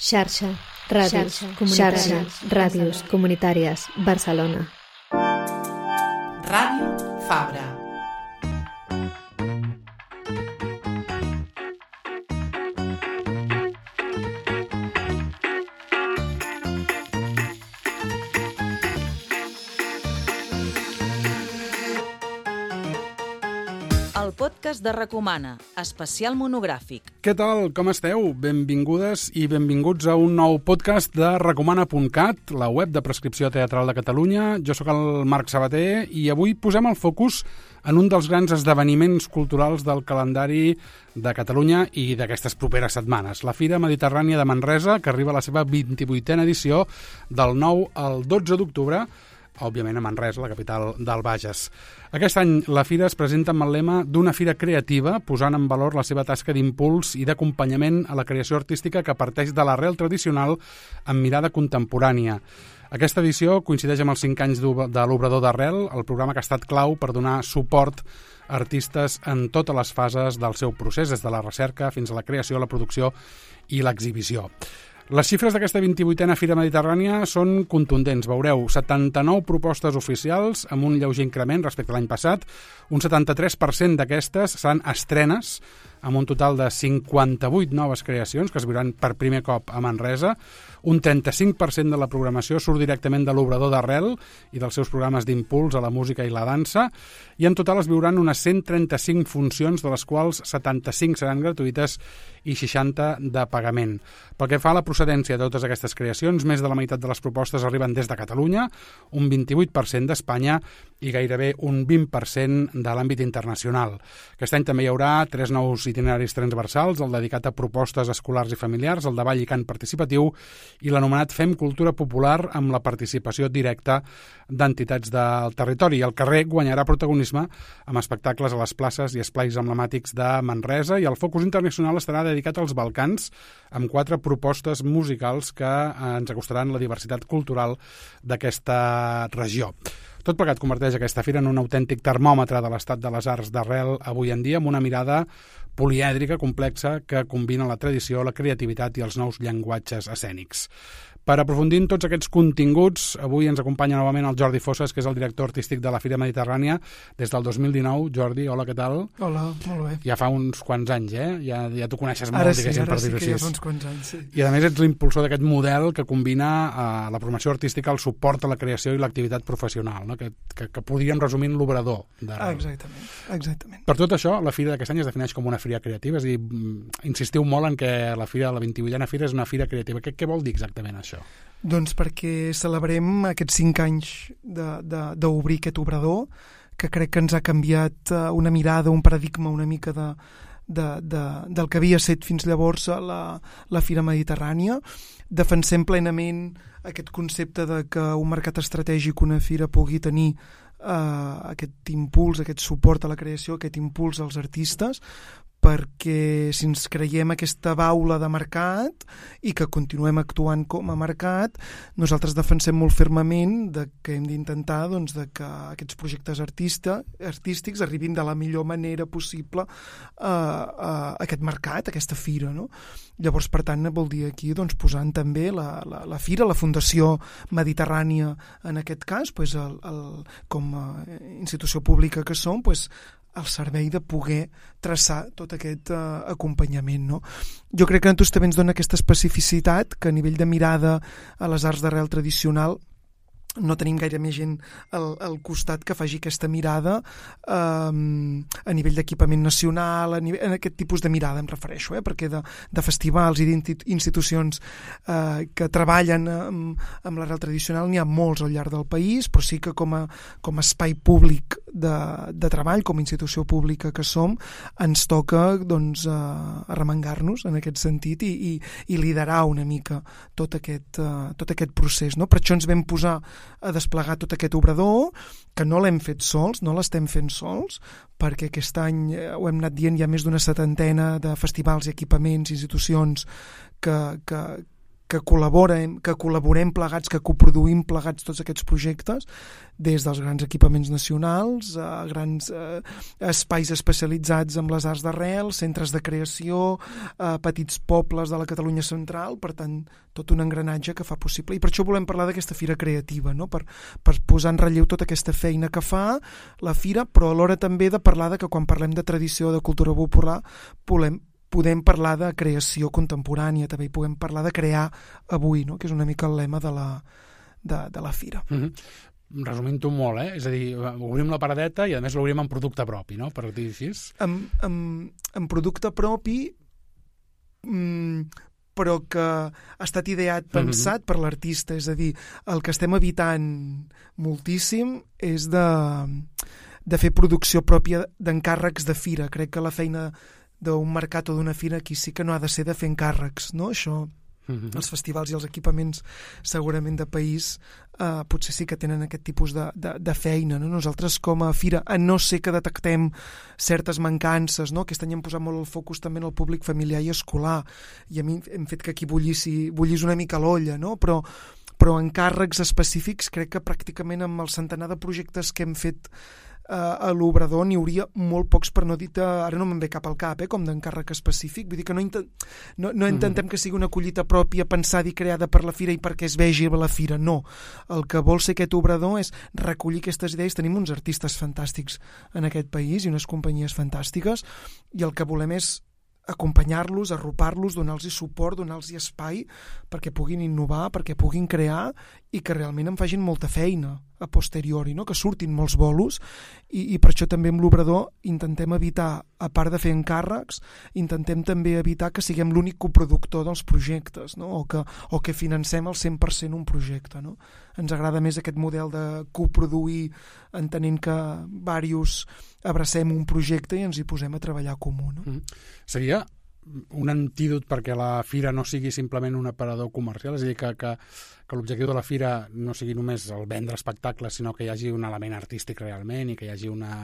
Xarxa, ràdios comunitàries, Barcelona. Ràdio Fabra. El podcast de Recomana, especial monogràfic. Què tal? Com esteu? Benvingudes i benvinguts a un nou podcast de Recomana.cat, la web de prescripció teatral de Catalunya. Jo sóc el Marc Sabater i avui posem el focus en un dels grans esdeveniments culturals del calendari de Catalunya i d'aquestes properes setmanes, la Fira Mediterrània de Manresa, que arriba a la seva 28a edició del 9 al 12 d'octubre, òbviament a Manresa, la capital del Bages. Aquest any la fira es presenta amb el lema d'una fira creativa, posant en valor la seva tasca d'impuls i d'acompanyament a la creació artística que parteix de l'arrel tradicional amb mirada contemporània. Aquesta edició coincideix amb els 5 anys de l'Obrador d'Arrel, el programa que ha estat clau per donar suport a artistes en totes les fases del seu procés, des de la recerca fins a la creació, la producció i l'exhibició. Les xifres d'aquesta 28a Fira Mediterrània són contundents. Veureu, 79 propostes oficials amb un lleuger increment respecte a l'any passat. Un 73% d'aquestes seran estrenes, amb un total de 58 noves creacions que es viuran per primer cop a Manresa. Un 35% de la programació surt directament de l'Obrador d'Arrel i dels seus programes d'impuls a la música i la dansa. I en total es viuran unes 135 funcions, de les quals 75 seran gratuïtes i 60 de pagament. Pel que fa a la procedència de totes aquestes creacions, més de la meitat de les propostes arriben des de Catalunya, un 28% d'Espanya i gairebé un 20% de l'àmbit internacional. Aquest any també hi haurà 3 nous itineraris transversals, el dedicat a propostes escolars i familiars, el de ball i cant participatiu i l'anomenat Fem Cultura Popular amb la participació directa d'entitats del territori. El carrer guanyarà protagonisme amb espectacles a les places i esplais emblemàtics de Manresa i el focus internacional estarà dedicat als Balcans amb 4 propostes musicals que ens acostaran la diversitat cultural d'aquesta regió. Tot plegat converteix aquesta fira en un autèntic termòmetre de l'estat de les arts d'arrel avui en dia, amb una mirada polièdrica, complexa, que combina la tradició, la creativitat i els nous llenguatges escènics. Per aprofundir en tots aquests continguts, avui ens acompanya novament el Jordi Fossas, que és el director artístic de la Fira Mediterrània des del 2019. Jordi, hola, què tal? Hola, molt bé. Ja fa uns quants anys, Ja t'ho coneixes molt, diguéssim, per dir-ho així. Ara sí que ja fa uns quants anys, sí. I a més ets l'impulsor d'aquest model que combina la promoció artística, el suport a la creació i l'activitat professional, no? que podríem resumir en l'obrador d'arrel. Exactament. Per tot això, la Fira d'aquest any es defineix com una fira creativa, és a dir, insistiu molt en que la 28a Fira és una fira creativa. Què vol dir exactament això? Doncs perquè celebrem aquests 5 anys d'obrir aquest obrador, que crec que ens ha canviat una mirada, un paradigma una mica del que havia estat fins llavors la Fira Mediterrània. Defensem plenament aquest concepte de que un mercat estratègic, una fira, pugui tenir aquest impuls, aquest suport a la creació, aquest impuls als artistes, perquè si ens creiem aquesta baula de mercat i que continuem actuant com a mercat, nosaltres defensem molt fermament que hem d'intentar de que aquests projectes artístics arribin de la millor manera possible a aquest mercat, a aquesta fira, no? Llavors, per tant, vol dir aquí posant també la fira, la Fundació Mediterrània en aquest cas, com a institució pública que som, al servei de poder traçar tot aquest acompanyament, no? Jo crec que a nosaltres també ens dona aquesta especificitat que a nivell de mirada a les arts d'arrel tradicional no tenim gaire més gent al costat que faci aquesta mirada a nivell d'equipament nacional, en aquest tipus de mirada em refereixo, perquè de festivals i d'institucions que treballen amb l'arrel tradicional n'hi ha molts al llarg del país, però sí que com a espai públic de treball, com a institució pública que som, ens toca arremangar-nos en aquest sentit i liderar una mica tot aquest procés, no? Per això ens vam posar a desplegar tot aquest obrador, que no l'hem fet sols, no l'estem fent sols, perquè aquest any ho hem anat dient, hi ha més d'una 70 de festivals i equipaments, institucions que que col·laborem plegats, que coproduïm plegats tots aquests projectes, des dels grans equipaments nacionals a grans espais especialitzats en les arts d'arrel, centres de creació, petits pobles de la Catalunya central, per tant, tot un engranatge que fa possible. I per això volem parlar d'aquesta fira creativa, no? per posar en relleu tota aquesta feina que fa la fira, però alhora també de parlar de que quan parlem de tradició, de cultura popular, podem parlar de creació contemporània, també podem parlar de crear avui, no? Que és una mica el lema de la fira. Resumint-ho molt, és a dir, obrim la paradeta i a més l'obrim en producte propi, no? Per dir així. En producte propi, però que ha estat ideat, pensat per l'artista, és a dir, el que estem evitant moltíssim és de fer producció pròpia d'encàrrecs de fira. Crec que la feina d'un mercat o d'una fira aquí sí que no ha de ser de fer encàrrecs, no? Això, els festivals i els equipaments segurament de país potser sí que tenen aquest tipus de feina, no? Nosaltres com a fira, a no ser que detectem certes mancances, no? Aquest any hem posat molt el focus també en el públic familiar i escolar, i a mi hem fet que aquí bullís una mica l'olla, no? Però encàrrecs específics crec que pràcticament amb el centenar de projectes que hem fet a l'Obrador n'hi hauria molt pocs, per no dir ara no me'n ve cap al cap, com d'encàrrec específic. Vull dir que no intentem que sigui una collita pròpia pensada i creada per la fira i perquè es vegi a la fira, no. El que vol ser aquest Obrador és recollir aquestes idees. Tenim uns artistes fantàstics en aquest país i unes companyies fantàstiques, i el que volem és acompanyar-los, arropar-los, donar-los suport, donar-los espai perquè puguin innovar, perquè puguin crear i que realment en facin molta feina a posteriori, no? Que surtin molts bolos, i per això també amb l'Obrador intentem evitar, a part de fer encàrrecs, intentem també evitar que siguem l'únic coproductor dels projectes, no? o que financem al 100% un projecte, no? Ens agrada més aquest model de coproduir, entenent que diversos abracem un projecte i ens hi posem a treballar comú, no? Seria un antídot perquè la fira no sigui simplement un aparador comercial, és a dir, que l'objectiu de la fira no sigui només el vendre espectacles, sinó que hi hagi un element artístic realment i que hi hagi una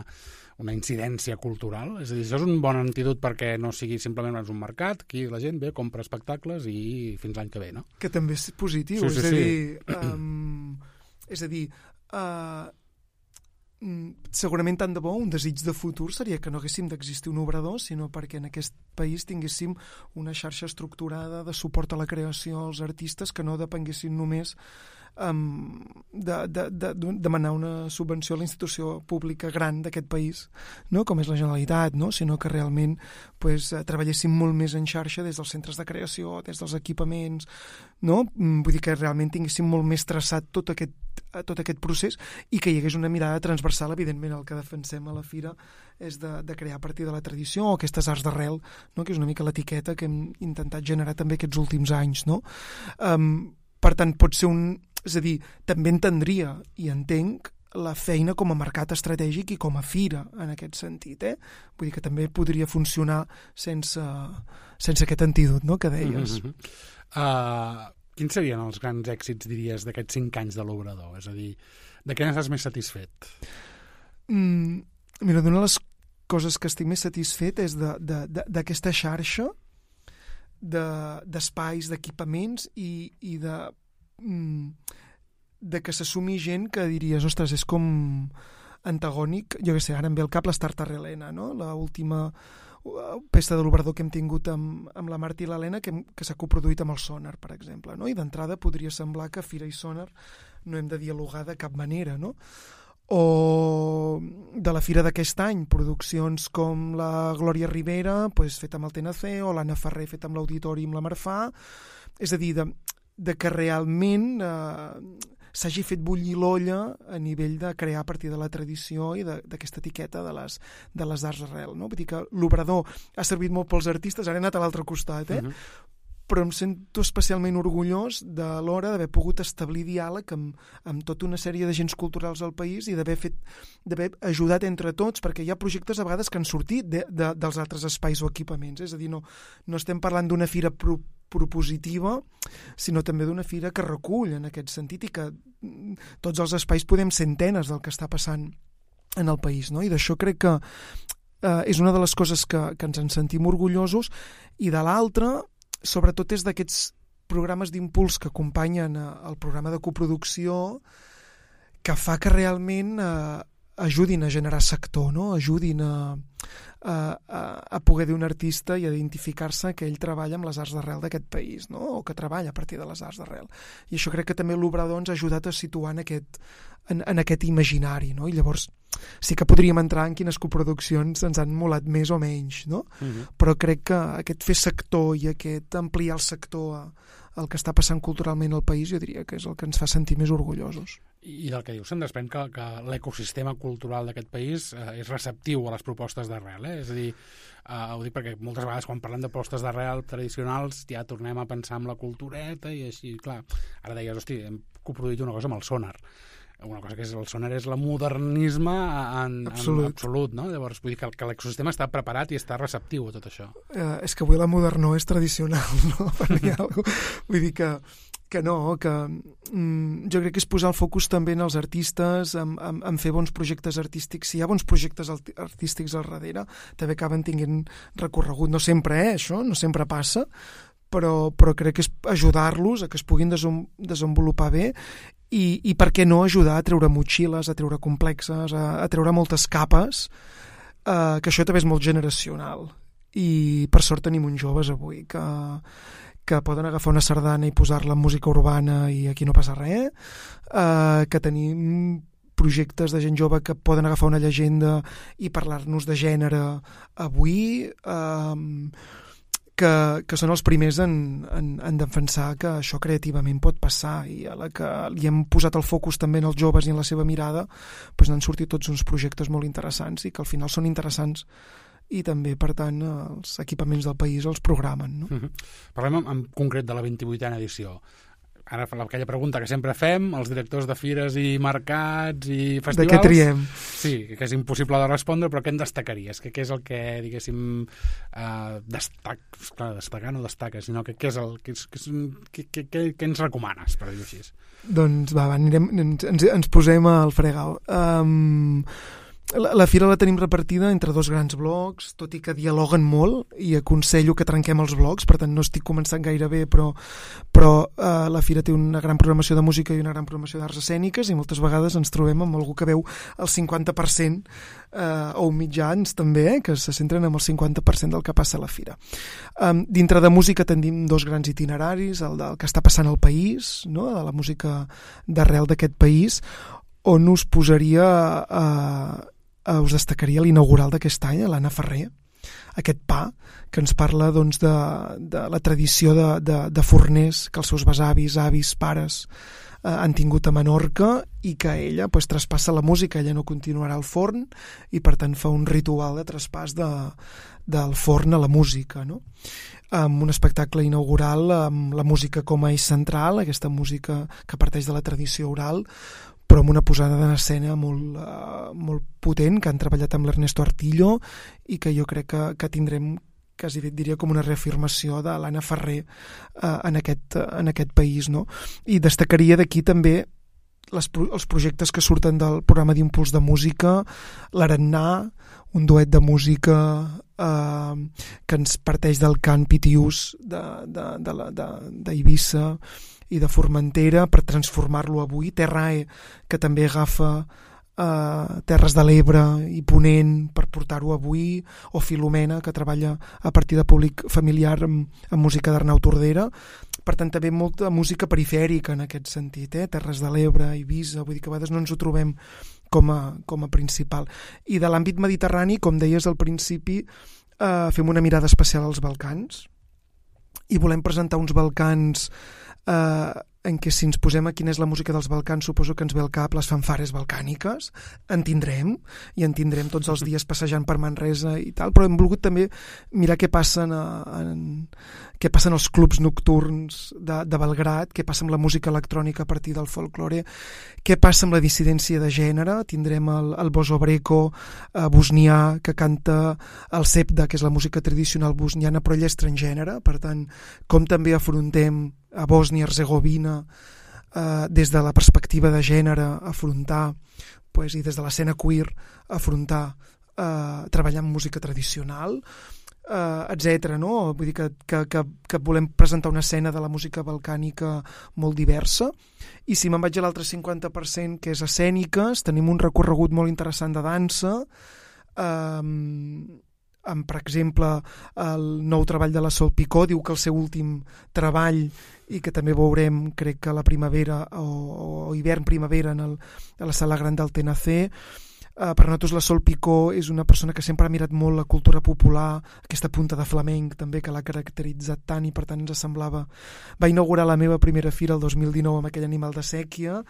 incidència cultural. És a dir, això és un bon antídot perquè no sigui simplement un mercat, aquí la gent ve, compra espectacles i fins l'any que ve, no? Que també és positiu, és a dir, segurament tant de bo un desig de futur seria que no haguéssim d'existir un Obrador, sinó perquè en aquest país tinguéssim una xarxa estructurada de suport a la creació als artistes, que no depenguessin només de demanar una subvenció a la institució pública gran d'aquest país, no? Com és la Generalitat, no? Sinó que realment treballéssim molt més en xarxa des dels centres de creació, des dels equipaments, no? Vull dir que realment tinguéssim molt més traçat tot aquest procés i que hi hagués una mirada transversal. Evidentment el que defensem a la fira és de crear a partir de la tradició o aquestes arts d'arrel, no? Que és una mica l'etiqueta que hem intentat generar també aquests últims anys, no? Per tant, pot ser és a dir, també entendria i entenc la feina com a mercat estratègic i com a fira en aquest sentit, Vull dir que també podria funcionar sense aquest antídot, no?, que deies. Quins serien els grans èxits, diries, d'aquests 5 anys de l'Obrador? És a dir, de què n'estàs més satisfet? Mira, una de les coses que estic més satisfet és d'aquesta xarxa d'espais, d'equipaments i de que s'assumi gent que diries, ostres, és com antagònic. Jo què sé, ara em ve al cap l'Start Arrelena, no? L'última peça de l'Obrador que hem tingut amb la Marta i l'Helena, que s'ha coproduït amb el Sonar, per exemple, no? I d'entrada podria semblar que Fira i Sonar no hem de dialogar de cap manera, no? O de la fira d'aquest any, produccions com la Glòria Rivera, feta amb el TNC, o l'Anna Ferrer feta amb l'Auditori i amb la Marfà. És a dir, de que realment s'hagi fet bullir l'olla a nivell de crear a partir de la tradició i d'aquesta etiqueta de les arts arrel, no? Vull dir que l'Obrador ha servit molt pels artistes, ara he anat a l'altre costat, però em sento especialment orgullós de l'hora d'haver pogut establir diàleg amb tota una sèrie d'agents culturals del país i d'haver ajudat entre tots, perquè hi ha projectes a vegades que han sortit dels altres espais o equipaments. És a dir, no estem parlant d'una fira propositiva, sinó també d'una fira que recull en aquest sentit i que tots els espais podem ser antenes del que està passant en el país, no? I d'això crec que és una de les coses que ens en sentim orgullosos, i de l'altra sobretot és d'aquests programes d'impuls que acompanyen el programa de coproducció que fa que realment ajudin a generar sector, no? Ajudin a poder dir un artista i a identificar-se que ell treballa amb les arts d'arrel d'aquest país, no? O que treballa a partir de les arts d'arrel. I això crec que també l'Obrador ens ha ajudat a situar en aquest imaginari, no? I llavors sí que podríem entrar en quines coproduccions ens han molat més o menys, no? Però crec que aquest fer sector i aquest ampliar el sector al que està passant culturalment al país, jo diria que és el que ens fa sentir més orgullosos. I del que dius se'n desprèn que l'ecosistema cultural d'aquest país és receptiu a les propostes d'arrel, És a dir, ho dic perquè moltes vegades quan parlem de propostes d'arrel tradicionals ja tornem a pensar en la cultureta i així, clar, ara deies, hosti, hem coproduït una cosa amb el Sonar. Una cosa que és el Sonar és el modernisme en absolut, no? Llavors, vull dir que l'ecosistema està preparat i està receptiu a tot això. És que avui la modernó és tradicional, no? Vull dir que no, que jo crec que és posar el focus també en els artistes, en fer bons projectes artístics. Si hi ha bons projectes artístics al darrere, també acaben tinguent recorregut. No sempre, això, no sempre passa, però crec que és ajudar-los a que es puguin desenvolupar bé i per què no ajudar a treure motxilles, a treure complexes, a treure moltes capes, que això també és molt generacional. I per sort tenim uns joves avui que poden agafar una sardana i posar-la en música urbana i aquí no passa res, que tenim projectes de gent jove que poden agafar una llegenda i parlar-nos de gènere avui, que són els primers en defensar que això creativament pot passar, i a la que li hem posat el focus també en els joves i en la seva mirada, doncs n'han sortit tots uns projectes molt interessants i que al final són interessants i també, per tant, els equipaments del país els programen, no? Parlem en concret de la 28a edició. Ara, aquella pregunta que sempre fem, els directors de fires i mercats i festivals... De què triem? Sí, que és impossible de respondre, però què en destacaries? Què és el que, diguéssim, destacar no destaca, sinó que què ens recomanes, per dir-ho així? Doncs va, ens posem al fregau. La fira la tenim repartida entre dos grans blocs, tot i que dialoguen molt i aconsello que trenquem els blocs, per tant no estic començant gaire bé, però la fira té una gran programació de música i una gran programació d'arts escèniques i moltes vegades ens trobem amb algú que veu el 50% o mitjans també, que se centren en el 50% del que passa a la fira. Dintre de música tenim dos grans itineraris, el del que està passant al país, no? De la música d'arrel d'aquest país, on us posaria us destacaria l'inaugural d'aquest any, l'Anna Ferrer, aquest pa que ens parla doncs, de la tradició de forners que els seus besavis, avis, pares han tingut a Menorca i que ella pues, traspassa la música, ella no continuarà al forn i per tant fa un ritual de traspàs del forn a la música, no? Amb un espectacle inaugural amb la música com a eix central, aquesta música que parteix de la tradició oral, però amb una posada en escena molt potent, que han treballat amb l'Ernesto Artillo i que jo crec que tindrem, quasi diria com una reafirmació de l'Anna Ferrer en aquest país, no? I destacaria d'aquí també els projectes que surten del programa d'impuls de música, l'Arannà, un duet de música que ens parteix del cant pitiús d'Eivissa i de Formentera per transformar-lo avui, Terrae, que també agafa Terres de l'Ebre i Ponent per portar-ho avui, o Filomena, que treballa a partir de públic familiar amb música d'Arnau Tordera. Per tant, també molta música perifèrica en aquest sentit, Terres de l'Ebre, Eivissa, vull dir que a vegades no ens ho trobem com a principal. I de l'àmbit mediterrani, com deies al principi, fem una mirada especial als Balcans i volem presentar uns Balcans en què si ens posem a quina és la música dels Balcans suposo que ens ve al cap les fanfares balcàniques, en tindrem tots els dies passejant per Manresa i tal, però hem volgut també mirar què passa què passen als clubs nocturns de Belgrad, què passa amb la música electrònica a partir del folklore, què passa amb la dissidència de gènere. Tindrem el Bozo Breko bosnià que canta el sepda, que és la música tradicional bosniana, però ell és transgènere, per tant com també afrontem a Bòsnia-Herzegovina des de la perspectiva de gènere, afrontar i des de l'escena queer afrontar treballar amb música tradicional. etc. No? Vull dir que volem presentar una escena de la música balcànica molt diversa. I si me'n vaig a l'altre 50%, que és escèniques, tenim un recorregut molt interessant de dansa, amb, per exemple, el nou treball de la Sol Picó, diu que el seu últim treball, i que també veurem, crec que a la primavera o hivern-primavera a la Sala Gran del TNC. Per nosaltres la Sol Picó és una persona que sempre ha mirat molt la cultura popular, aquesta punta de flamenc també que l'ha caracteritzat tant, i per tant ens semblava... Va inaugurar la meva primera fira el 2019 amb aquell Animal de Sèquia,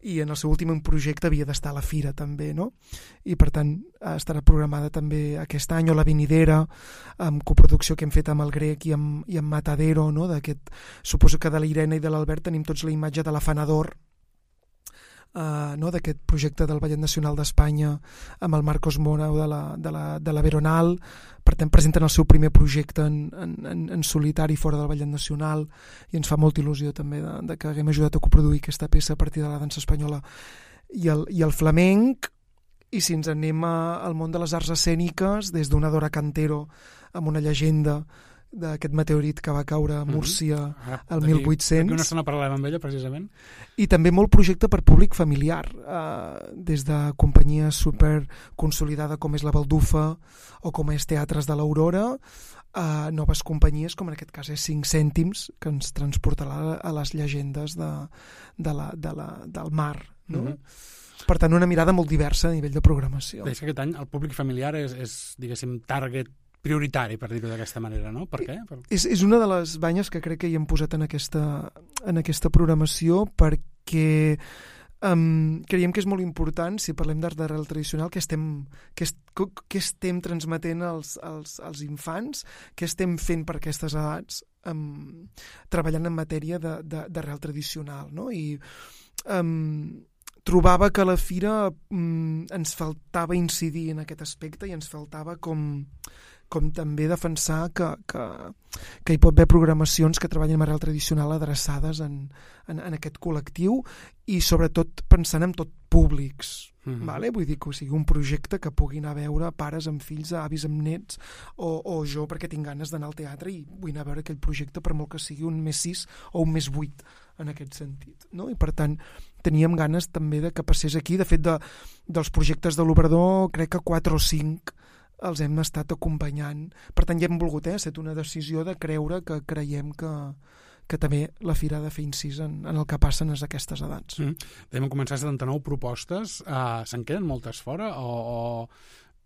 i en el seu últim projecte havia d'estar a la fira també, no? I per tant estarà programada també aquest any, o la Vinidera, amb coproducció que hem fet amb el Grec i amb Matadero, no? Suposo que de la Irene i de l'Albert tenim tots la imatge de l'Afanador, no? D'aquest projecte del Ballet Nacional d'Espanya amb el Marcos Morau de la Veronal. Per tant, presenten el seu primer projecte en solitari fora del Ballet Nacional, i ens fa molta il·lusió també de que haguem ajudat a coproduir aquesta peça a partir de la dansa espanyola i el flamenc. I si ens anem al món de les arts escèniques, des d'una Dora Cantero amb una llegenda d'aquest meteorit que va caure a Múrcia al 1800. D'aquí una estona parlàvem amb ella, precisament. I també molt projecte per públic familiar, des de companyies super consolidada com és la Baldufa o com és Teatres de l'Aurora, a noves companyies, com en aquest cas és 5 cèntims, que ens transportarà a les llegendes del mar, no? Per tant, una mirada molt diversa a nivell de programació. És que aquest any el públic familiar és diguéssim, target prioritari, per dir-ho d'aquesta manera, no? Per què? És una de les banyes que crec que hi hem posat en aquesta programació, perquè creiem que és molt important, si parlem d'art d'arrel tradicional, que estem transmetent als infants, què estem fent per aquestes edats, treballant en matèria d'arrel tradicional, no? I trobava que a la fira ens faltava incidir en aquest aspecte, i ens faltava com també defensar que hi pot haver programacions que treballen amb arrel tradicional adreçades en aquest col·lectiu, i sobretot pensant en tot públics. Vale? Vull dir que sigui un projecte que pugui anar a veure pares amb fills, avis amb nets, o jo perquè tinc ganes d'anar al teatre i vull anar a veure aquell projecte, per molt que sigui un més 6 o un més 8 en aquest sentit, no? I per tant teníem ganes també de que passés aquí. De fet, dels projectes de l'Obrador, crec que 4 o 5 els hem estat acompanyant. Per tant, ja hem volgut, ha estat una decisió de creure que creiem que també la fira ha de fer incís en el que passen a aquestes edats. Vam començar 79 propostes. Se'n queden moltes fora? O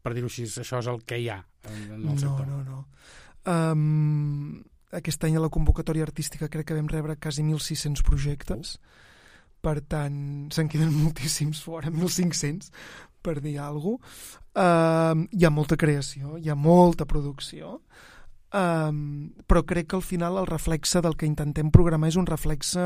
per dir-ho així, això és el que hi ha en el sector? No. Aquest any a la convocatòria artística crec que vam rebre quasi 1.600 projectes. Per tant, se'n queden moltíssims fora, 1.500, per dir alguna cosa. Hi ha molta creació, hi ha molta producció, però crec que al final el reflexe del que intentem programar és un reflexe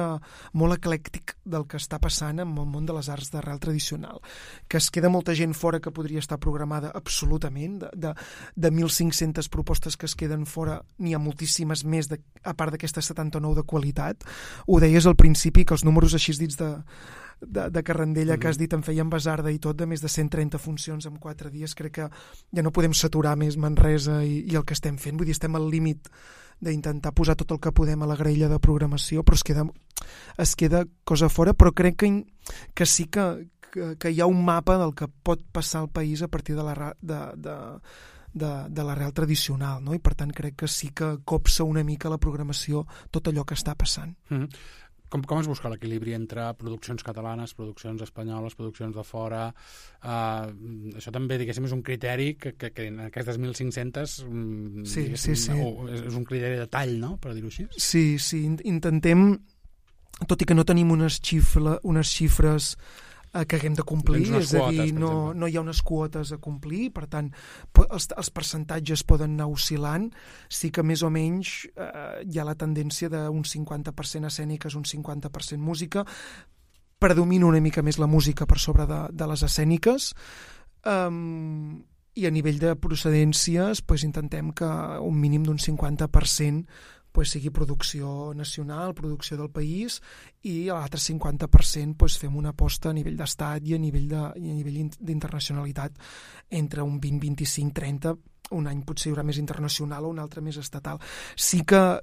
molt eclèctic del que està passant en el món de les arts d'arrel tradicional, que es queda molta gent fora que podria estar programada absolutament. De 1.500 propostes que es queden fora, n'hi ha moltíssimes més, a part d'aquestes 79 de qualitat. Ho deies al principi, que els números així dits de Carrandella que has dit em feien basarda i tot, de més de 130 funcions en 4 dies. Crec que ja no podem saturar més Manresa i el que estem fent. Vull dir, estem al límit d'intentar posar tot el que podem a la graella de programació, però es queda cosa fora. Però crec que sí que hi ha un mapa del que pot passar al país a partir de l'arrel tradicional, no? I per tant crec que sí que copsa una mica la programació tot allò que està passant. Com es busca l'equilibri entre produccions catalanes, produccions espanyoles, produccions de fora? Això també, diguéssim, és un criteri que en aquestes 1.500 sí. És un criteri de tall, no?, per dir-ho així. Sí, intentem, tot i que no tenim unes xifres que haguem de complir, és a dir, no hi ha unes quotes a complir, per tant els percentatges poden anar oscil·lant. Sí que més o menys hi ha la tendència d'un 50% escèniques, un 50% música. Predomina una mica més la música per sobre de les escèniques, i a nivell de procedències intentem que un mínim d'un 50% sigui producció nacional, producció del país, i l'altre 50% fem una aposta a nivell d'estat i a nivell d'internacionalitat entre un 20, 25, 30, un any potser hi haurà més internacional o un altre més estatal. Sí que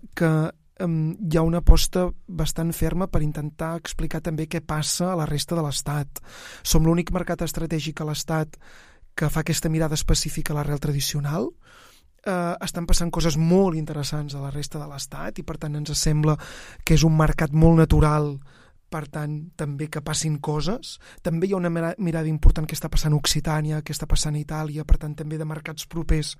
hi ha una aposta bastant ferma per intentar explicar també què passa a la resta de l'Estat. Som l'únic mercat estratègic a l'Estat que fa aquesta mirada específica a l'arrel tradicional. Estan passant coses molt interessants a la resta de l'Estat i per tant ens sembla que és un mercat molt natural, per tant, també que passin coses. També hi ha una mirada important que està passant a Occitània, que està passant a Itàlia, per tant, també de mercats propers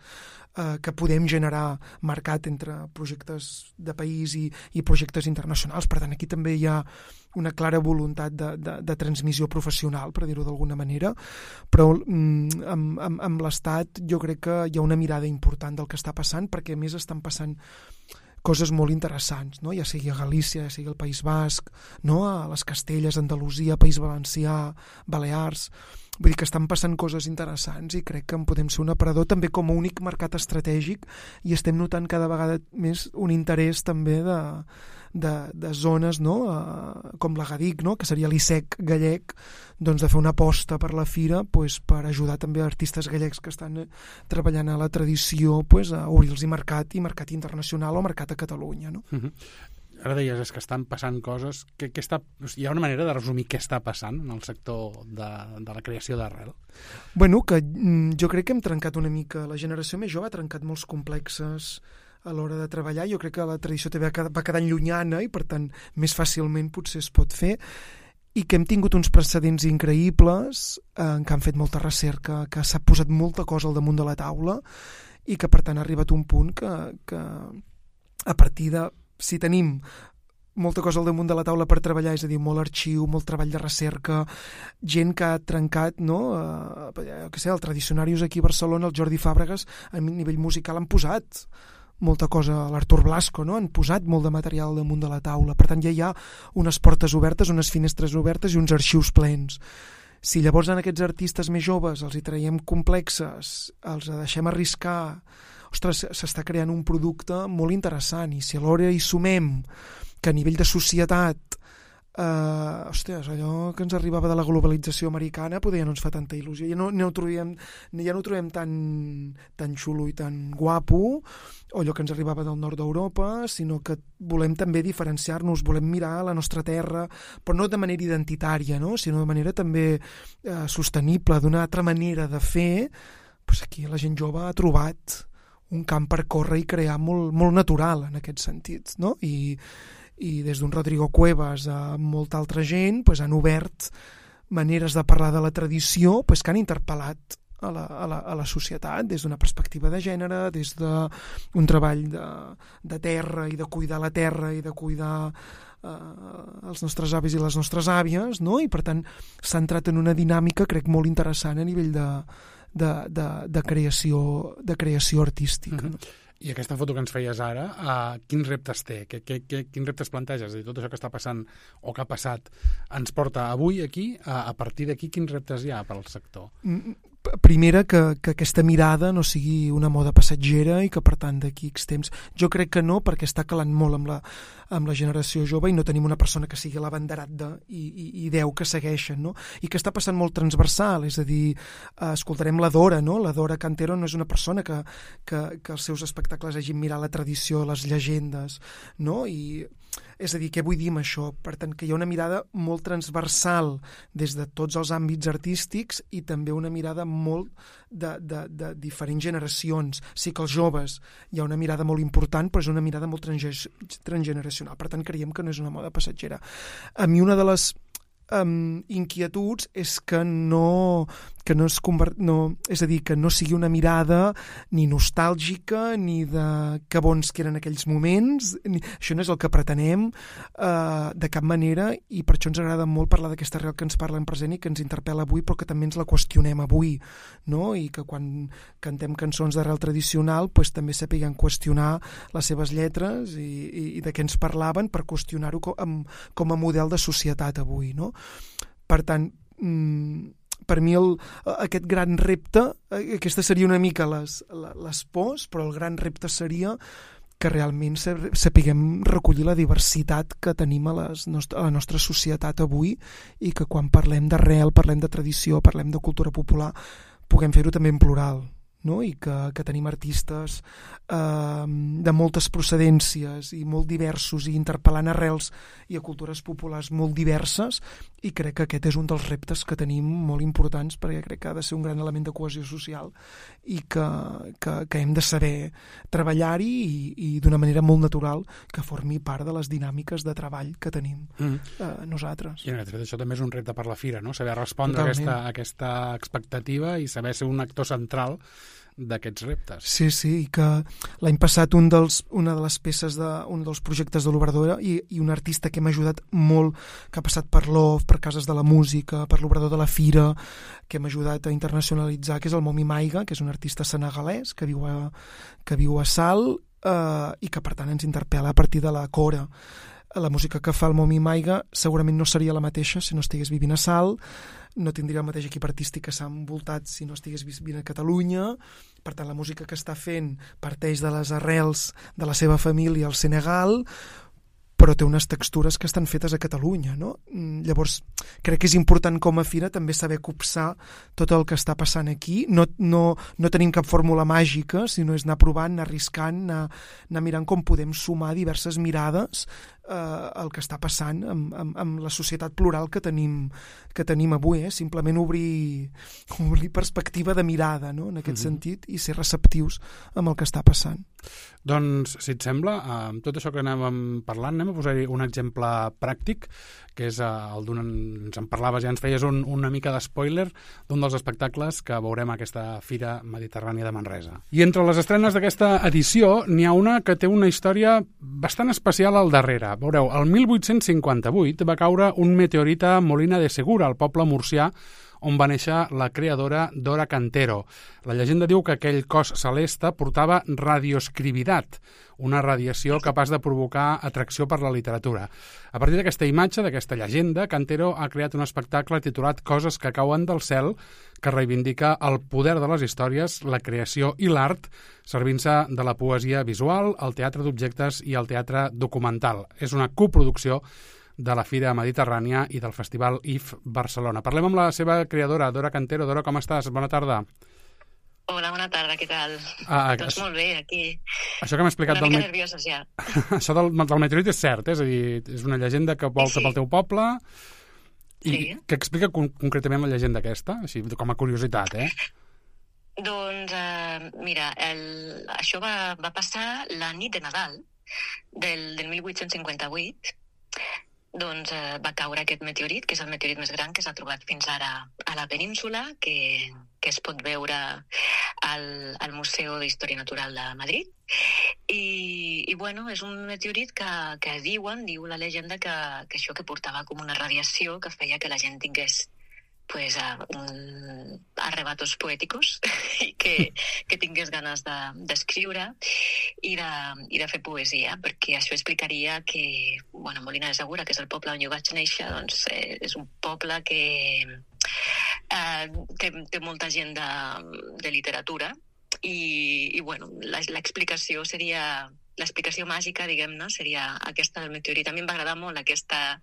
que podem generar mercat entre projectes de país i projectes internacionals. Per tant, aquí també hi ha una clara voluntat de transmissió professional, per dir-ho d'alguna manera, però amb l'Estat jo crec que hi ha una mirada important del que està passant, perquè a més estan passant coses molt interessants, no? Ja sigui a Galícia, ja sigui al País Basc, no? A les Castelles, Andalusia, País Valencià, Balears. Vull dir que estan passant coses interessants i crec que en podem ser un aparador també com a únic mercat estratègic i estem notant cada vegada més un interès també de zones, no? Com l'Agadic, no? Que seria l'ISEC gallec, doncs de fer una aposta per la fira per ajudar també artistes gallecs que estan treballant a la tradició a obrir-los mercat internacional o mercat a Catalunya, no? Ara deies, és que estan passant coses. Hi ha una manera de resumir què està passant en el sector de la creació d'arrel? Bueno, que jo crec que hem trencat una mica, la generació més jove ha trencat molts complexes a l'hora de treballar. Jo crec que la tradició també va quedant llunyana i per tant més fàcilment potser es pot fer, i que hem tingut uns precedents increïbles en què han fet molta recerca, que s'ha posat molta cosa al damunt de la taula i que per tant ha arribat un punt que a partir de, si tenim molta cosa al damunt de la taula per treballar, és a dir, molt arxiu, molt treball de recerca, gent que ha trencat, no? El Tradicionarius aquí a Barcelona, el Jordi Fàbregas, a nivell musical han posat molta cosa, l'Artur Blasco, no? Han posat molt de material al damunt de la taula. Per tant, ja hi ha unes portes obertes, unes finestres obertes i uns arxius plens. Si llavors en aquests artistes més joves els hi traiem complexes, els deixem arriscar, ostres, s'està creant un producte molt interessant, i si alhora hi sumem que a nivell de societat allò que ens arribava de la globalització americana ja no ens fa tanta il·lusió, ja no ho trobem tan xulo i tan guapo, o allò que ens arribava del nord d'Europa, sinó que volem també diferenciar-nos, volem mirar la nostra terra, però no de manera identitària, no? Sinó de manera també sostenible, d'una altra manera de fer. Aquí la gent jove ha trobat un camp per córrer i crear molt, molt natural en aquest sentit, no? I des d'un Rodrigo Cuevas a molta altra gent han obert maneres de parlar de la tradició que han interpel·lat a la societat des d'una perspectiva de gènere, des d'un treball de terra i de cuidar la terra i de cuidar els nostres avis i les nostres àvies, no? I per tant s'ha entrat en una dinàmica, crec, molt interessant a nivell de creació artística, no? I aquesta foto que ens feies ara, quins reptes té? Quins reptes planteges? És a dir, tot això que està passant o que ha passat ens porta avui aquí, a partir d'aquí quins reptes hi ha pel sector? Primera, que aquesta mirada no sigui una moda passatgera i que per tant d'aquí X temps, jo crec que no, perquè està calant molt amb la generació jove i no tenim una persona que sigui l'abanderat i 10 que segueixen, no? I que està passant molt transversal, és a dir, escoltarem la Dora, no? La Dora Cantero no és una persona que els seus espectacles hagin mirat la tradició, les llegendes, no? És a dir, què vull dir amb això? Per tant, que hi ha una mirada molt transversal des de tots els àmbits artístics i també una mirada molt de diferents generacions. Sí que els joves hi ha una mirada molt important, però és una mirada molt transgeneracional. Per tant, creiem que no és una moda passatgera. A mi una de les inquietuds és que és a dir, que no sigui una mirada ni nostàlgica ni de que bons que eren aquells moments, això no és el que pretenem de cap manera, i per això ens agrada molt parlar d'aquesta arrel que ens parla en present i que ens interpel·la avui, però que també ens la qüestionem avui, no? I que quan cantem cançons d'arrel tradicional també sapiguem qüestionar les seves lletres i de què ens parlaven per qüestionar-ho com a model de societat avui, no? Per tant, per mi aquest gran repte, aquesta seria una mica les pors, però el gran repte seria que realment sapiguem recollir la diversitat que tenim a la nostra societat avui i que quan parlem d'arrel, parlem de tradició, parlem de cultura popular, puguem fer-ho també en plural, no? I que tenim artistes de moltes procedències i molt diversos i interpel·lant arrels i a cultures populars molt diverses, i crec que aquest és un dels reptes que tenim molt importants, perquè crec que ha de ser un gran element de cohesió social i que hem de saber treballar-hi i d'una manera molt natural que formi part de les dinàmiques de treball que tenim nosaltres. I en aquest fet això també és un repte per la Fira, no? Saber respondre a aquesta expectativa i saber ser un actor central d'aquests reptes. Sí, i que l'any passat una de les peces un dels projectes de l'Obrador i un artista que m'ha ajudat molt, que ha passat per l'OF, per Cases de la Música, per l'Obrador de la Fira, que m'ha ajudat a internacionalitzar, que és el Momi Maiga, que és un artista senegalès que viu a Salt i que per tant ens interpel·la a partir de la cora. La música que fa el Momi Maiga segurament no seria la mateixa si no estigués vivint a Salt, no tindria el mateix equip artístic que s'ha envoltat si no estigués vivint a Catalunya. Per tant, la música que està fent parteix de les arrels de la seva família al Senegal, però té unes textures que estan fetes a Catalunya, no? Llavors, crec que és important com a Fira també saber copsar tot el que està passant aquí. No tenim cap fórmula màgica, sinó és anar provant, anar arriscant, anar mirant com podem sumar diverses mirades el que està passant amb la societat plural que tenim avui, simplement obrir perspectiva de mirada, no? En aquest sentit, i ser receptius amb el que està passant. Doncs, si et sembla, amb tot això que anàvem parlant, anem a posar-hi un exemple pràctic, que és ens en parlaves, ja ens feies una mica d'espoiler d'un dels espectacles que veurem a aquesta Fira Mediterrània de Manresa. I entre les estrenes d'aquesta edició n'hi ha una que té una història bastant especial al darrere. Veureu, el 1858 va caure un meteorit a Molina de Segura, al poble murcià, on va néixer la creadora Dora Cantero. La llegenda diu que aquell cos celeste portava radioescrividat, una radiació capaç de provocar atracció per la literatura. A partir d'aquesta imatge, d'aquesta llegenda, Cantero ha creat un espectacle titulat Coses que cauen del cel, que reivindica el poder de les històries, la creació i l'art, servint-se de la poesia visual, el teatre d'objectes i el teatre documental. És una coproducció de la Fira Mediterrània i del Festival IF Barcelona. Parlem amb la seva creadora, Dora Cantero. Dora, com estàs? Bona tarda. Hola, bona tarda, què tal? Doncs molt bé, aquí. Això que m'ha explicat una mica nerviosa, ja. Això del meteorit és cert, és a dir, és una llegenda que volta pel teu poble i que explica concretament la llegenda aquesta, així com a curiositat, Doncs, mira, això va passar la nit de Nadal del 1858. Doncs va caure aquest meteorit, que és el meteorit més gran que s'ha trobat fins ara a la península, que es pot veure al Museu d'Història Natural de Madrid. I bueno, és un meteorit que diu la llegenda que això que portava com una radiació que feia que la gent tingués arrebatos poèticos i que tingués ganes d'escriure i de fer poesia, perquè això explicaria que, Molina de Segura, que és el poble on jo vaig néixer, doncs és un poble que té molta gent de literatura i l'explicació seria... L'explicació màgica, diguem-ne, seria aquesta del meteorit. A mi em va agradar molt aquesta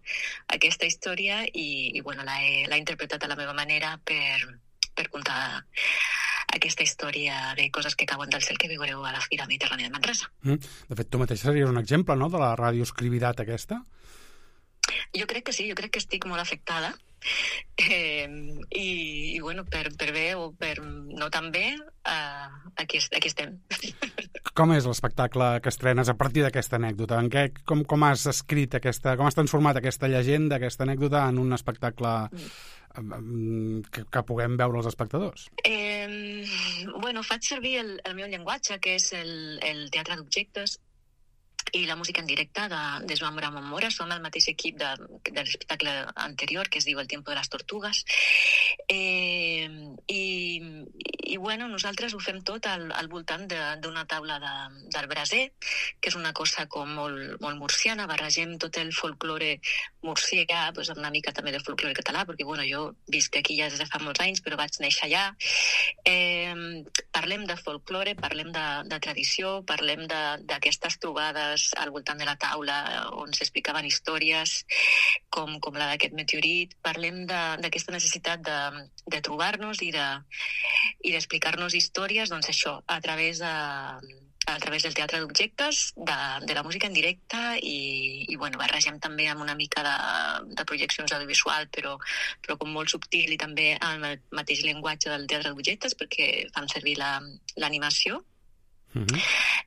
història i l'he interpretat a la meva manera per contar aquesta història de coses que cauen del cel que veureu a la Fira Mediterrània de Manresa. De fet, tu mateixa series un exemple, no?, de la radioescrividat aquesta? Jo crec que sí, jo crec que estic molt afectada. I per bé o per no tan bé, aquí estem. Com és l'espectacle que estrenes a partir d'aquesta anècdota? Com has escrit com has transformat aquesta llegenda, aquesta anècdota en un espectacle que puguem veure els espectadors? Faig servir el meu llenguatge, que és el teatre d'objectes, i la música en directe de Joan Bramon Mora. Som el mateix equip de l'espectacle anterior, que es diu El tiempo de las tortugas. Nosaltres ho fem tot al voltant d'una taula del braser, que és una cosa com molt murciana. Barregem tot el folklore murcià, doncs, amb una mica també de folklore català, perquè bueno, jo visc aquí ja des de fa molts anys, però vaig néixer allà. Parlem de folklore, parlem de tradició, parlem d'aquestes trobades al voltant de la taula on s'explicaven històries com la d'aquest meteorit. Parlem d'aquesta necessitat de trobar-nos i d'explicar-nos històries, doncs això, a través del teatre d'objectes, de la música en directe i bueno, barregem també amb una mica de projeccions audiovisual, però com molt subtil i també amb el mateix llenguatge del teatre d'objectes, perquè fan servir l'animació.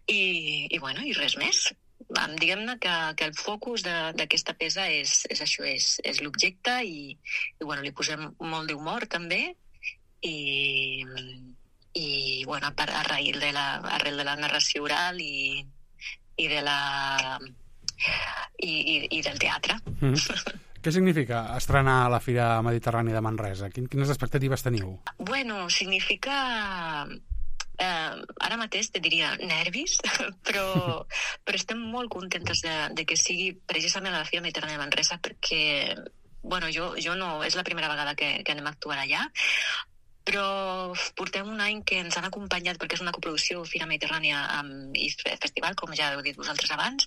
I bueno, i res més. Diguem-ne que el focus d'aquesta peça és això, és l'objecte i bueno, li posem molt d'humor també i bueno, arrel de la narració oral i del teatre. Què significa estrenar a la Fira Mediterrània de Manresa? Quines expectatives teniu? Bueno, significa... ara mateix te diria nervis, però estem molt contentes de que sigui precisament a la Fira Mediterrània de Manresa perquè, bueno, jo no... És la primera vegada que anem a actuar allà, però portem un any que ens han acompanyat perquè és una coproducció Fira Mediterrània i Festival, com ja heu dit vosaltres abans,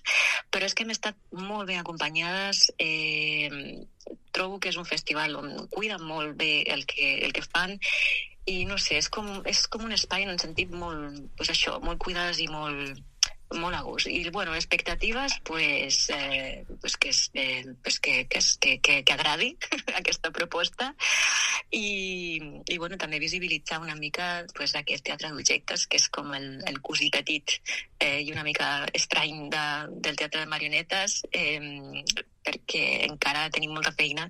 però és que hem estat molt ben acompanyades. Trobo que és un festival on cuiden molt bé el que fan i no sé, és com un espai en un sentit molt, pues això, molt cuidades i molt a gust. I, bueno, expectatives, que agradi aquesta proposta i bueno, també visibilitzar una mica aquest teatre d'objectes, que és com el cosí petit i una mica estrany del teatre de marionetes, perquè encara tenim molta feina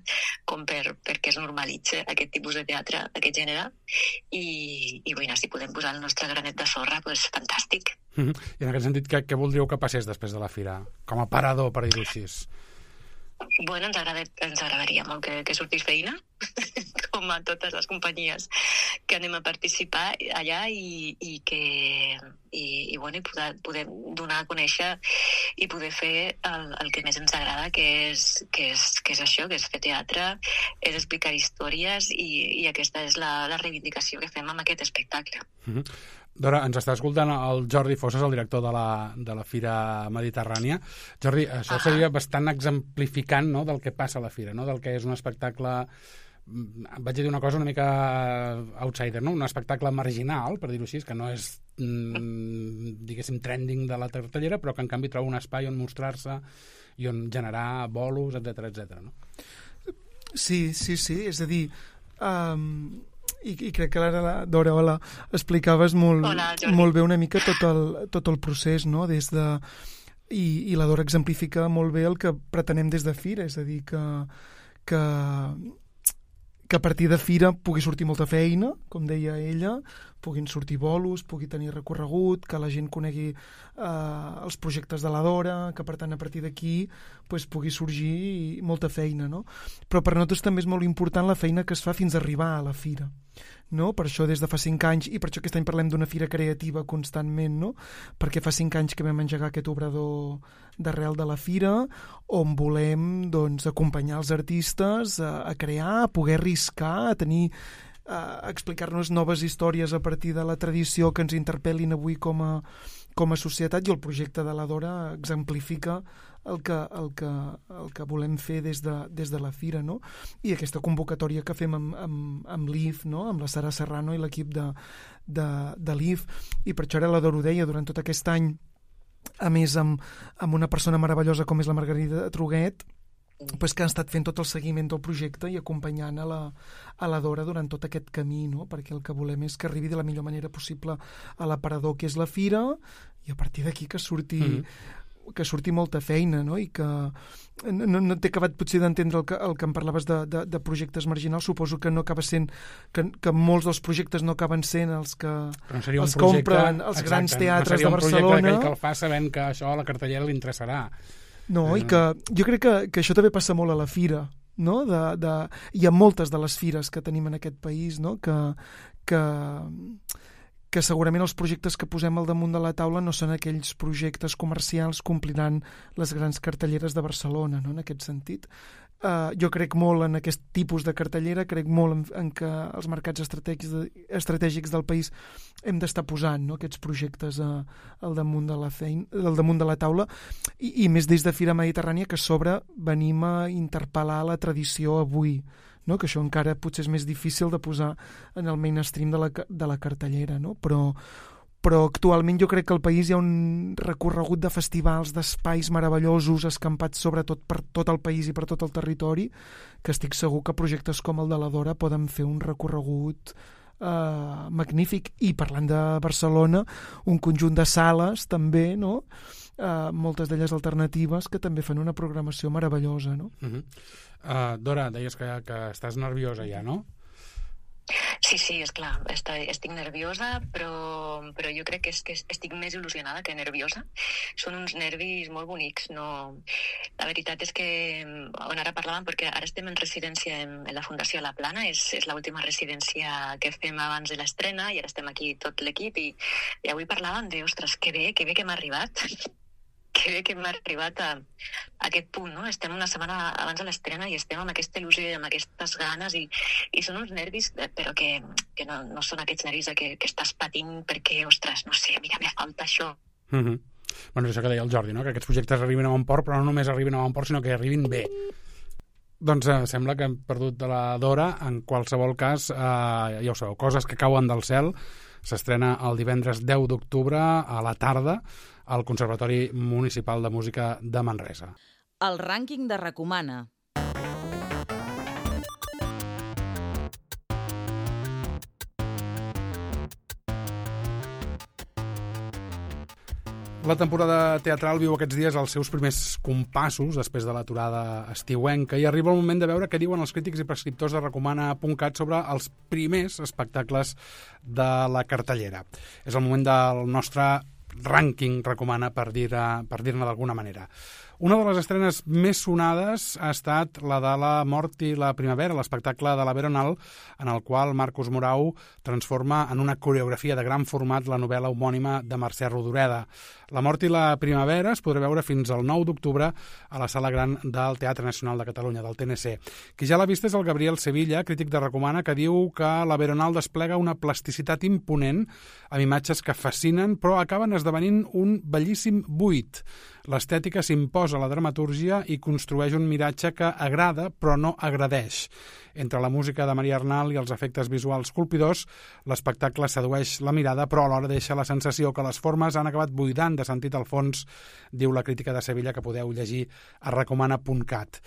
com perquè es normalitzi aquest tipus de teatre, aquest gènere, i bueno, si podem posar el nostre granet de sorra, doncs fantàstic. I en aquest sentit, què voldríeu que passés després de la fira? Com a parador, per dir-ho així. Bueno, ens agradaria molt que sortís feina, com a totes les companyies que anem a participar allà i poder donar a conèixer i poder fer el que més ens agrada, que és això, que és fer teatre, és explicar històries i aquesta és la reivindicació que fem amb aquest espectacle. Dora, ens està escoltant el Jordi Fossas, el director de la Fira Mediterrània. Jordi, això seria bastant exemplificant, no?, del que passa a la Fira, no?, del que és un espectacle, vaig dir una cosa una mica outsider, no?, un espectacle marginal, per dir-ho així, que no és, diguéssim, trending de la cartellera, però que en canvi troba un espai on mostrar-se i on generar bolos, etc., no? Sí, és a dir... I crec que ara, Dora, explicaves molt bé una mica tot el procés, no? I la Dora exemplifica molt bé el que pretenem des de Fira, és a dir, que a partir de Fira pugui sortir molta feina, com deia ella, puguin sortir bolos, pugui tenir recorregut, que la gent conegui els projectes de la Dora, que per tant a partir d'aquí pugui sorgir molta feina, no? Però per nosaltres també és molt important la feina que es fa fins a arribar a la Fira, no? Per això des de fa 5 anys, i per això aquest any parlem d'una fira creativa constantment, no? Perquè fa 5 anys que vam engegar aquest obrador d'arrel de la fira, on volem, doncs, acompanyar els artistes a crear, a poder arriscar, a tenir a explicar-nos noves històries a partir de la tradició que ens interpel·lin avui com a societat, i el projecte de la Dora exemplifica el que volem fer des de la fira, no? I aquesta convocatòria que fem amb l'IF, no?, amb la Sara Serrano i l'equip de l'IF, i per això ara la Dora ho deia, durant tot aquest any, a més amb una persona meravellosa com és la Margarida Truguet, que han estat fent tot el seguiment del projecte i acompanyant a la Dora durant tot aquest camí, no? Perquè el que volem és que arribi de la millor manera possible a l'aparador que és la fira, i a partir d'aquí que surti molta feina, no? I que no t'he acabat potser d'entendre el que em parlaves de projectes marginals. Suposo que no acaba sent que molts dels projectes no acaben sent els que omplen els grans teatres de Barcelona. No seria un projecte que el fa sabent que això a la cartellera li interessarà. No, i que jo crec que això també passa molt a la fira, no? I a moltes de les fires que tenim en aquest país, no? Que segurament els projectes que posem al damunt de la taula no són aquells projectes comercials que ompliran les grans cartelleres de Barcelona, no? En aquest sentit, Jo crec molt en aquest tipus de cartellera, crec molt en que els mercats estratègics del país hem d'estar posant, no, aquests projectes al damunt de la taula, i més des de Fira Mediterrània, que a sobre venim a interpel·lar la tradició avui, no? Que això encara potser és més difícil de posar en el mainstream de la cartellera, no? Però actualment jo crec que al país hi ha un recorregut de festivals, d'espais meravellosos escampats sobretot per tot el país i per tot el territori, que estic segur que projectes com el de la Dora poden fer un recorregut magnífic. I parlant de Barcelona, un conjunt de sales també, no? Moltes d'elles alternatives, que també fan una programació meravellosa, no? Dora, deies que estàs nerviosa ja, no? Sí, és clar, estic nerviosa, però jo crec que estic més il·lusionada que nerviosa. Són uns nervis molt bonics. No... La veritat és que, on ara parlàvem, perquè ara estem en residència en la Fundació La Plana, és l'última residència que fem abans de l'estrena, i ara estem aquí tot l'equip, i avui parlàvem de, ostres, que bé que hem arribat. Que bé que hem arribat a aquest punt, no? Estem una setmana abans de l'estrena i estem amb aquesta il·lusió i amb aquestes ganes, i són uns nervis, però que no són aquests nervis que estàs patint perquè, ostres, no sé, mira, me falta això. Bueno, això que deia el Jordi, no? Que aquests projectes arribin a bon port, però no només arribin a bon port, sinó que arribin bé. Doncs sembla que hem perdut de la Dora. En qualsevol cas, ja ho sabeu, Coses que cauen del cel s'estrena el divendres 10 d'octubre a la tarda al Conservatori Municipal de Música de Manresa. El rànquing de Recomana. La temporada teatral viu aquests dies els seus primers compassos després de l'aturada estiuenca, i arriba el moment de veure què diuen els crítics i prescriptors de Recomana.cat sobre els primers espectacles de la cartellera. És el moment del nostre rànquing Recomana, per dir-ne d'alguna manera. Una de les estrenes més sonades ha estat la de La mort i la primavera, l'espectacle de la Veronal, en el qual Marcos Morau transforma en una coreografia de gran format la novel·la homònima de Mercè Rodoreda. La mort i la primavera es podrà veure fins al 9 d'octubre a la Sala Gran del Teatre Nacional de Catalunya, del TNC. Qui ja l'ha vist és el Gabriel Sevilla, crític de Recomana, que diu que la Veronal desplega una plasticitat imponent amb imatges que fascinen, però acaben esdevenint un bellíssim buit. L'estètica s'imposa a la dramatúrgia i construeix un miratge que agrada però no agradeix. Entre la música de Maria Arnal i els efectes visuals colpidors, l'espectacle sedueix la mirada, però alhora deixa la sensació que les formes han acabat buidant de sentit al fons, diu la crítica de Sevilla, que podeu llegir a Recomana.cat.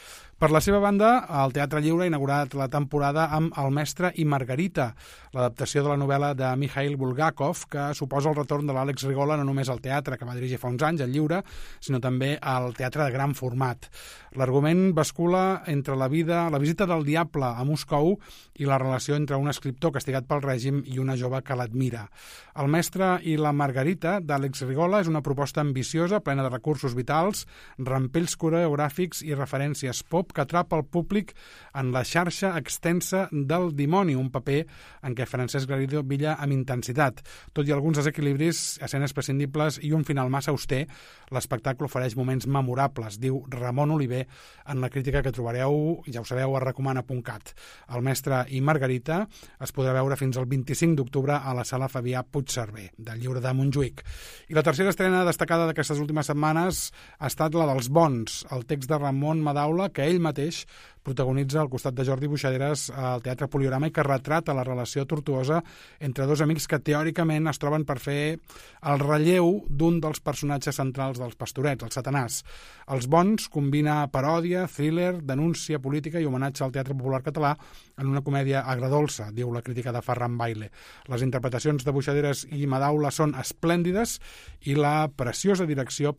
Per la seva banda, el Teatre Lliure ha inaugurat la temporada amb El mestre i Margarita, l'adaptació de la novel·la de Mikhail Bulgakov, que suposa el retorn de l'Àlex Rigola no només al teatre, que va dirigir fa uns anys, al Lliure, sinó també al teatre de gran format. L'argument bascula entre la visita del diable a Moscou i la relació entre un escriptor castigat pel règim i una jove que l'admira. El mestre i la Margarita, d'Àlex Rigola, és una proposta ambiciosa, plena de recursos vitals, rampells coreogràfics i referències pop que atrapa el públic en la xarxa extensa del dimoni, un paper en què Francesc Garrido brilla amb intensitat. Tot i alguns desequilibris, escenes prescindibles i un final massa auster, l'espectacle ofereix moments memorables, diu Ramon Oliver en la crítica que trobareu, ja ho sabeu, a Recomana.cat. El mestre i Margarita es podrà veure fins al 25 d'octubre a la Sala Fabià Puigcerver, del Lliure de Montjuïc. I la tercera estrena destacada d'aquestes últimes setmanes ha estat la dels Bons, el text de Ramon Madaula, que ell mateix protagonitza al costat de Jordi Buixaderes al Teatre Poliorama, i que retrata la relació tortuosa entre dos amics que teòricament es troben per fer el relleu d'un dels personatges centrals dels Pastorets, el Satanàs. Els Bons combina paròdia, thriller, denúncia política i homenatge al teatre popular català en una comèdia agredolça, diu la crítica de Ferran Baile. Les interpretacions de Buixaderes i Madaula són esplèndides i la precisa direcció,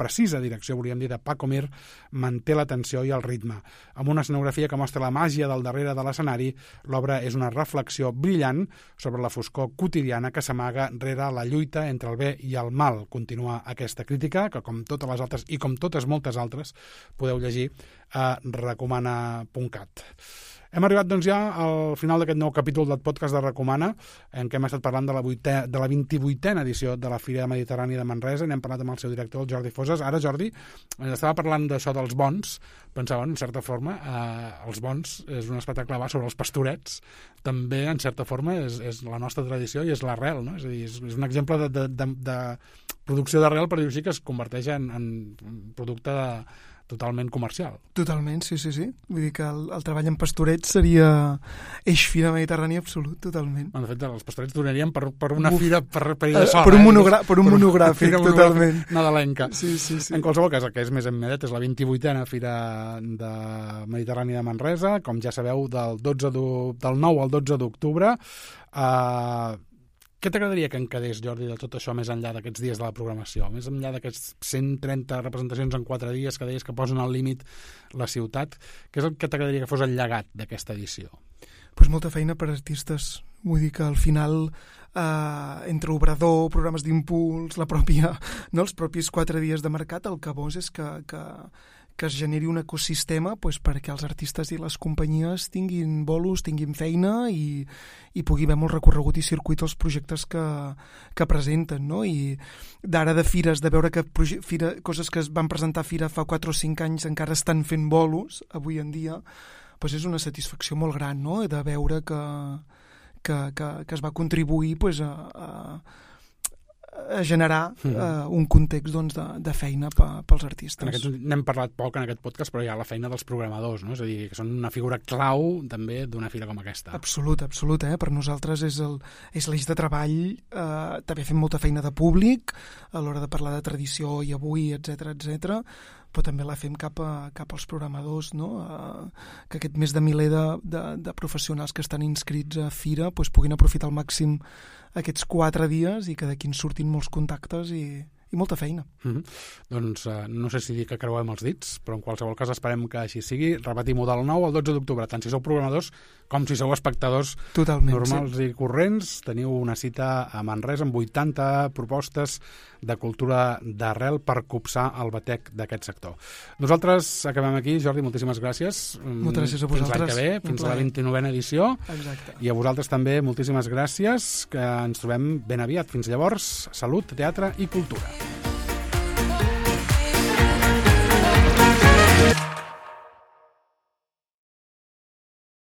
volíem dir, de Paco Mir manté la tensió i el ritme. Amb una escenografia que mostra la màgia del darrere de l'escenari, l'obra és una reflexió brillant sobre la foscor quotidiana que s'amaga rere la lluita entre el bé i el mal. Continua aquesta crítica, que com totes les altres i com totes moltes altres podeu llegir a recomana.cat. Hem arribat doncs ja al final d'aquest nou capítol del podcast de Recomana, en què hem estat parlant de la 28a edició de la Fira Mediterrània de Manresa. N'hem parlat amb el seu director, el Jordi Foses. Ara, Jordi, estava parlant d'això dels bons. Pensava, en certa forma, els bons és un espectacle sobre els pastorets. També, en certa forma, és la nostra tradició i és l'arrel, no? És a dir, és un exemple de producció d'arrel, per dir-ho així, que es converteix en producte totalment comercial. Totalment, sí. Vull dir que el treball en pastorets seria eix Fira Mediterrània absolut, totalment. De fet, els pastorets donarien per una fira per ella sola. Per un monogràfic, totalment. Nadalenca. Sí. En qualsevol cas, el que és més immediat és la 28a Fira de Mediterrània de Manresa, com ja sabeu, del 9 al 12 d'octubre. Què t'agradaria que en quedés, Jordi, de tot això més enllà d'aquests dies de la programació? Més enllà d'aquests 130 representacions en 4 dies que deies que posen al límit la ciutat, què és el que t'agradaria que fos el llegat d'aquesta edició? Pues molta feina per artistes. Vull dir que al final, entre obrador, programes d'impuls, els propis 4 dies de mercat, el que vols és que es generi un ecosistema perquè els artistes i les companyies tinguin bolos, tinguin feina i pugui haver molt recorregut i circuit els projectes que presenten, no? I d'ara de fires, de veure que coses que es van presentar a fira fa 4 o 5 anys encara estan fent bolos avui en dia, és una satisfacció molt gran, no? De veure que es va contribuir a generar un context de feina pels artistes. N'hem parlat poc en aquest podcast, però hi ha la feina dels programadors, no? És a dir, que són una figura clau també d'una fira com aquesta. Absolut. Per nosaltres és l'eix de treball. També fem molta feina de públic a l'hora de parlar de tradició i avui, etc, però també la fem cap als programadors, no? Que aquest més de miler de professionals que estan inscrits a fira puguin aprofitar al màxim aquests 4 dies i que d'aquí en surtin molts contactes i molta feina. Doncs no sé si dir que creuem els dits, però en qualsevol cas esperem que així sigui. Repetim-ho del 9 al 12 d'octubre, tant si sou programadors com si sou espectadors normals i corrents. Teniu una cita a Manresa amb 80 propostes de cultura d'arrel per copsar el batec d'aquest sector. Nosaltres acabem aquí. Jordi, moltíssimes gràcies. Moltes gràcies a vosaltres. Fins l'any que ve, fins a la 29a edició. Exacte. I a vosaltres també moltíssimes gràcies, que ens trobem ben aviat. Fins llavors, salut, teatre i cultura.